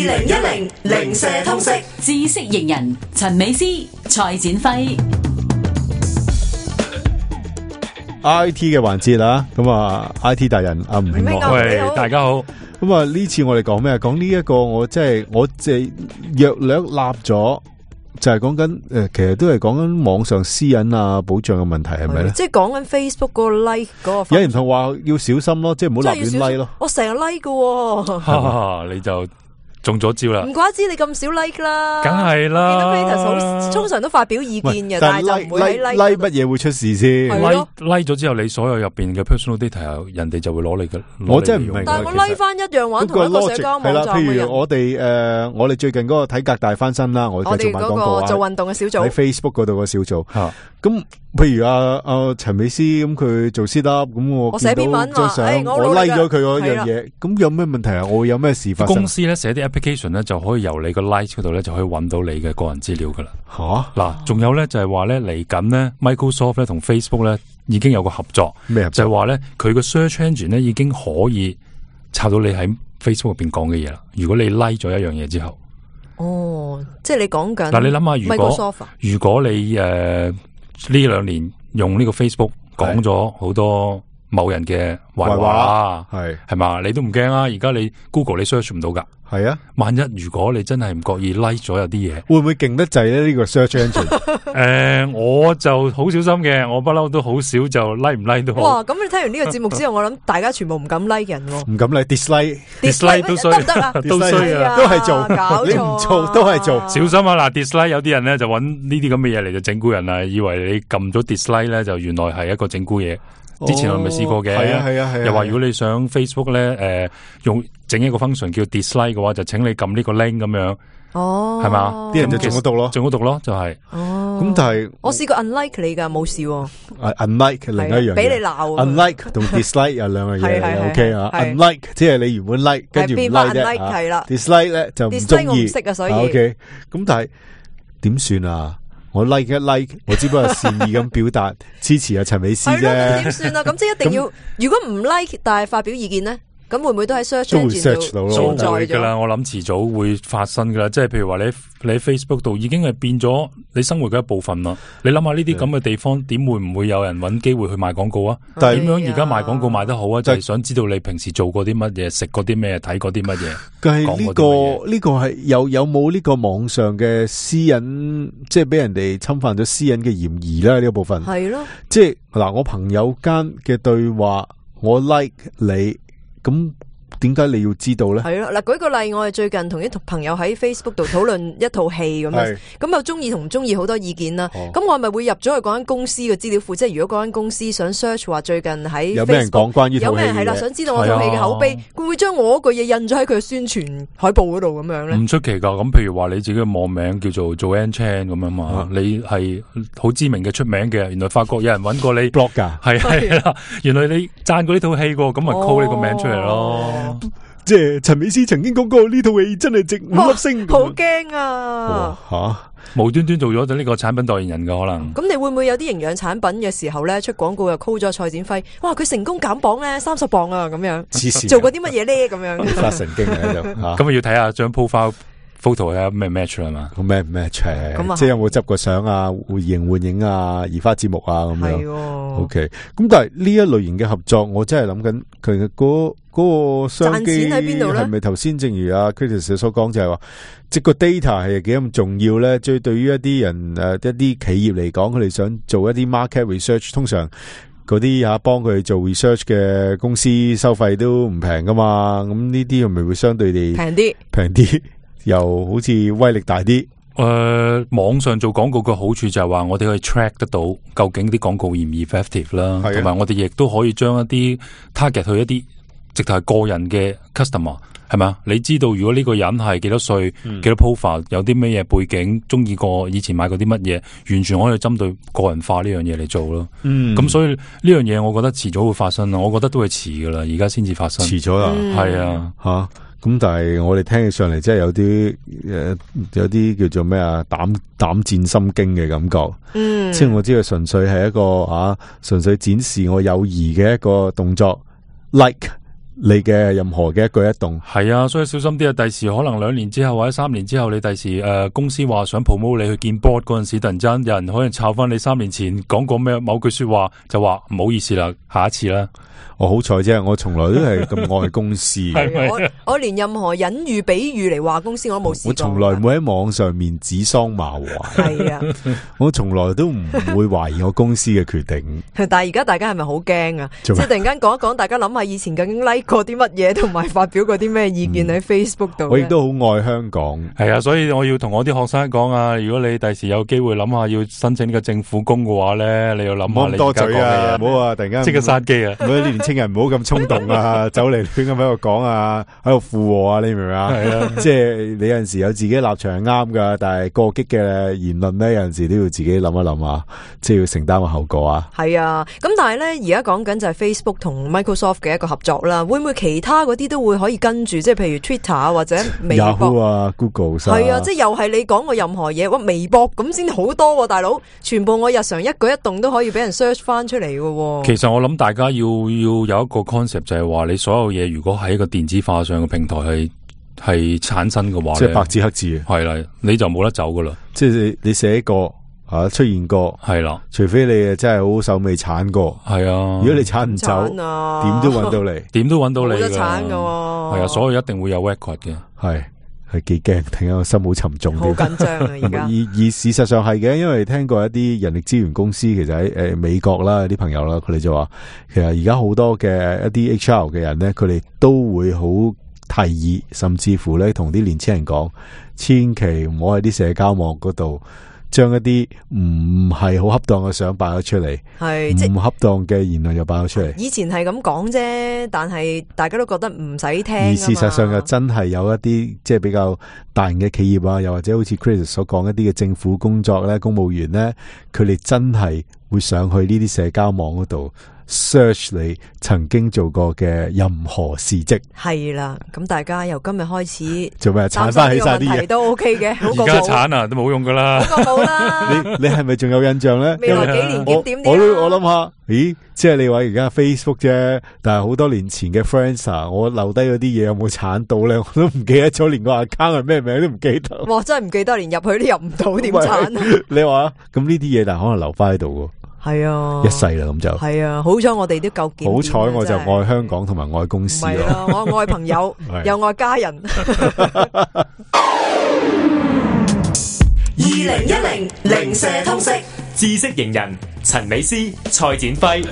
2010零舍通識知識型人陳美詩、蔡展輝。IT 嘅環節啦，咁啊 IT 大人阿吳慶樂，喂，大家好。咁啊呢次我哋講咩？講呢一個我即係約略立咗，就係講緊其實都係講緊網上私隱啊保障嘅問題，係咪咧？即係講緊 Facebook 嗰個 like 嗰個。有人同話要小心咯，即係唔好立亂 like 咯。我成日 like 嘅，你就中咗招啦！唔怪之你咁少 like 啦，梗係啦。見到 Peter 通常都發表意見嘅，但係就唔會喺 like 乜嘢會出事先？like 咗之後，你所有入邊嘅 personal data，人哋就會攞你嘅。我真係唔明。但係我 like 翻一樣玩同一個社交網站嘅人。譬如我哋最近嗰個體格大翻身啦，我哋做賣廣告啊，做運動嘅小組喺 Facebook 嗰度個小組。咁譬如阿陳美詩咁，佢做 sit up，咁我寫篇文張相，我 like 咗佢嗰樣嘢，咁有咩問題啊？我會有咩事發生？公司咧寫啲 application 咧就可以由你個 like 嗰度咧就可以揾到你嘅個人資料噶啦。嗱，仲有咧就係話咧嚟緊咧 Microsoft 咧同 Facebook 咧已經有個合作，咩？就係話咧佢個 search engine 咧已經可以抄到你喺 Facebook 入邊講嘅嘢啦。如果你 like 咗一樣嘢之後，即係你講緊嗱，你諗下，如果你呢兩年用呢個 Facebook 講咗好多某人嘅壞話，係嘛？你都唔驚啊！而家你 Google 你 search 唔到噶，係啊。萬一如果你真係唔覺意 like 咗有啲嘢，會唔會勁得滯咧？呢個 search engine 我就好小心嘅，我不嬲都好少就 like 唔 like 都好。哇！咁你聽完呢個節目之後，我諗大家全部唔敢 like 人喎，唔敢 like，dislike 都衰，得唔得啊？都衰啊，都係做，你唔做都係做，小心啊！嗱 ，dislike 有啲人咧就揾呢啲咁嘅嘢嚟就整蠱人啊，以為你撳咗 dislike 咧就原來係一個整蠱嘢。之前我咪試過嘅，係啊，又話如果你想 Facebook 咧，用整一個 function 叫 dislike 嘅話，就請你撳呢個 link 咁樣，係嘛？啲人就中咗毒咯，就係。咁但係我試過 unlike 你噶，冇事。unlike 另一樣，俾你鬧。unlike 同 dislike 有兩樣嘢，OK 啊 ？unlike 即係你原本 like， 跟住唔 like 啫。係啦 ，dislike 咧就唔中意。我唔識啊，所以 OK。咁但係點算啊？我 like 一 like， 我只不過係善意咁表達支持阿陳美詩啫。點算啊？咁即係一定要，如果唔 like 但係發表意見咧，咁會唔會都喺 search engine 度存在㗎啦？我諗遲早會發生噶啦。即係譬如話你喺 Facebook 度已經係變咗你生活嘅一部分啦。你諗下呢啲咁嘅地方，點會唔會有人揾機會去賣廣告啊？但係點樣而家賣廣告賣得好啊？就係想知道你平時做過啲乜嘢，食過啲咩，睇過啲乜嘢。但係呢個係有冇呢個網上嘅私隱，即係俾人哋侵犯咗私隱嘅嫌疑咧？呢個部分係咯，即係嗱，我朋友間嘅對話，我 like 你。咁點解你要知道咧？係咯，嗱，舉個例，我哋最近同啲朋友喺 Facebook 度討論一套戲咁樣，咁又中意同唔中意好多意見啦。咁我係咪會入咗去嗰間公司嘅資料庫？即係如果嗰間公司想 search 話最近喺有咩人講關於套戲嘅，有咩人係啦，想知道我套戲嘅口碑，會唔會將我嗰句嘢印咗喺佢嘅宣傳海報嗰度咁樣咧？唔出奇噶。咁譬如話你自己嘅網名叫做 Joanne Chan 咁樣嘛，你係好知名嘅出名嘅，原來發覺有人揾過你 blog 噶，係啦，原來你讚過呢套戲喎，咁咪 call 呢個名出嚟咯。即係陳美詩曾經講過呢套戲真係值5粒星，好驚啊！無端端做咗呢個產品代言人嘅可能。咁你會唔會有啲營養產品嘅時候咧出廣告又 call 咗蔡展輝？哇！佢成功減磅咧30磅啊！咁樣做過啲乜嘢咧？咁樣發神經啊！就咁要睇下張 profile photo 係咩 match 啦嘛？咩 match？即係有冇執過相啊、換影啊、移花接木啊咁樣。OK。咁但係呢一類型嘅合作，我真係諗緊佢嗰個商機喺邊度咧？係咪頭先正如阿 Chris 所講，就係話即個 data 係幾咁重要咧？即係對於一啲人一啲企業嚟講，佢哋想做一啲 market research，通常嗰啲幫佢做 research 嘅公司收費都唔平噶嘛。咁呢啲係咪會相對地平啲？又好似威力大啲。網上做廣告嘅好處就係話我哋可以 track 得到究竟啲廣告嚴唔 effective 啦，同埋我哋亦都可以將一啲 target 去一啲直頭係個人嘅 customer， 係咪啊？你知道如果呢個人係幾多歲、幾多 profile， 有啲咩嘢背景，中意過以前買過啲乜嘢，完全可以針對個人化呢樣嘢嚟做咯。咁所以呢樣嘢我覺得遲早會發生啦，我覺得都係遲噶啦，而家先至發生。遲咗啦，係啊，吓。咁但係我哋聽起上嚟，真係有啲叫做咩啊，膽戰心驚嘅感覺。即係我知道純粹係一個純粹展示我友誼嘅一個動作 ，like 你嘅任何嘅一舉一動。係啊，所以小心啲啊！第時可能2年之後或者3年之後，你第時公司話想 promote 你去見 board 嗰陣時，突然間有人可能抄翻你3年前講過咩某句說話，就話唔好意思啦，下一次啦。我好彩啫，我從來都係咁愛公司。我連任何隱喻、比喻嚟話公司我都冇試過。我從來唔會喺網上面指桑罵槐。係啊，我從來都唔會懷疑我公司嘅決定。但係而家大家係咪好驚啊？即係突然間講一講，大家諗下以前究竟 like 過啲乜嘢，同埋發表過啲咩意見喺 Facebook 度。我亦都好愛香港。係啊，所以我要同我啲學生講啊，如果你第時有機會諗下要申請呢個政府工嘅話咧，你要諗下你而家講嘅嘢。唔好啊！突然間即刻閂機啊！年青人唔好咁衝動啊，走嚟亂咁喺度講啊，喺度附和啊，你明唔明啊？係啊，即係你有陣時有自己立場係啱噶，但係過激嘅言論咧，有陣時都要自己諗一諗啊，即係要承擔個後果啊。係啊，咁但係咧，而家講緊就係 Facebook 同 Microsoft 嘅一個合作啦，會唔會其他嗰啲都會可以跟住，即係譬如 Twitter 啊或者微博 Yahoo 啊 Google 係啊，即係又係你講過任何嘢，哇微博咁先好多喎，大佬，全部我日常一舉一動都可以俾人 search 翻出嚟嘅。其實我諗大家要有一個 concept 就係話，你所有嘢如果喺一個電子化上嘅平台係產生嘅話，即係白紙黑字，係啦，你就冇得走噶啦。即係你寫過出現過，係啦，除非你真係好手尾鏟過，係啊。如果你鏟唔走，點都揾到你，點都揾到你㗎。冇得鏟噶，係啊，所以一定會有 record 嘅。係幾驚，突然間個心好沉重，好緊張啊！而家而事實上係嘅，因為聽過一啲人力資源公司，其實喺美國啦，啲朋友啦，佢哋就話，其實而家好多嘅一啲 HR 嘅人咧，佢哋都會好提議，甚至乎咧同啲年輕人講，千祈唔好喺啲社交網嗰度將一啲唔係好恰當嘅相擺咗出嚟，係唔恰當嘅言論又擺咗出嚟。以前係咁講啫，但係大家都覺得唔使聽。而事實上又真係有一啲即係比較大型嘅企業啊，又或者好似 Chris 所講一啲嘅政府工作咧，公務員咧，佢哋真係會上去呢啲社交網嗰度 search 你曾經做過嘅任何事蹟。係啦，咁大家由今日開始做咩鏟翻起晒啲嘢都 OK 嘅，好過而家鏟啊都冇用噶啦，好過冇啦。你係咪仲有印象咧？未來幾年點我諗下，咦，即係你話而家 Facebook 啫，但係好多年前嘅 Friends 啊，我留低嗰啲嘢有冇鏟到咧？我都唔記得咗，連個 account 係咩名都唔記得。哇，真係唔記得，連入去都入唔到，點鏟啊？你話咁呢啲嘢，但係可能留翻喺度喎。係啊，一世啦咁就係啊，好彩我哋都夠檢點。好彩我就愛香港同埋愛公司咯，我愛朋友又愛家人。2010零舍通識知識型人陳美詩、蔡展輝。